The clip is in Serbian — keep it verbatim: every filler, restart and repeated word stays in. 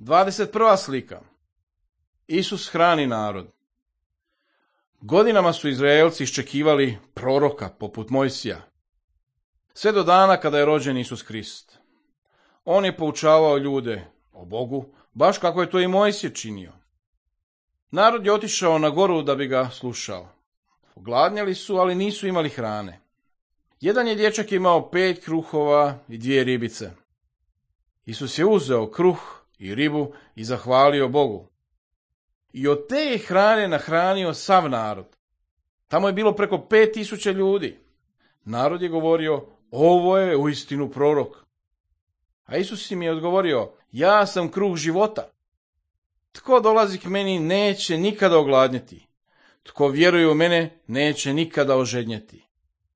dvadeset prva slika. Isus hrani narod. Godinama su Izraelci iščekivali proroka poput Mojsija, sve do dana kada je rođen Isus Krist. On je poučavao ljude o Bogu, baš kako je to i Mojsije činio. Narod je otišao na goru da bi ga slušao. Ogladnjali su, ali nisu imali hrane. Jedan je dječak imao pet kruhova i dvije ribice. Isus je uzeo kruh i ribu i zahvalio Bogu. I od te je hrane nahranio sav narod. Tamo je bilo preko pet tisuća ljudi. Narod je govorio, ovo je uistinu prorok. A Isus im je odgovorio, ja sam kruh života. Tko dolazi k meni neće nikada ogladnjeti. Tko vjeruje u mene neće nikada ožednjeti.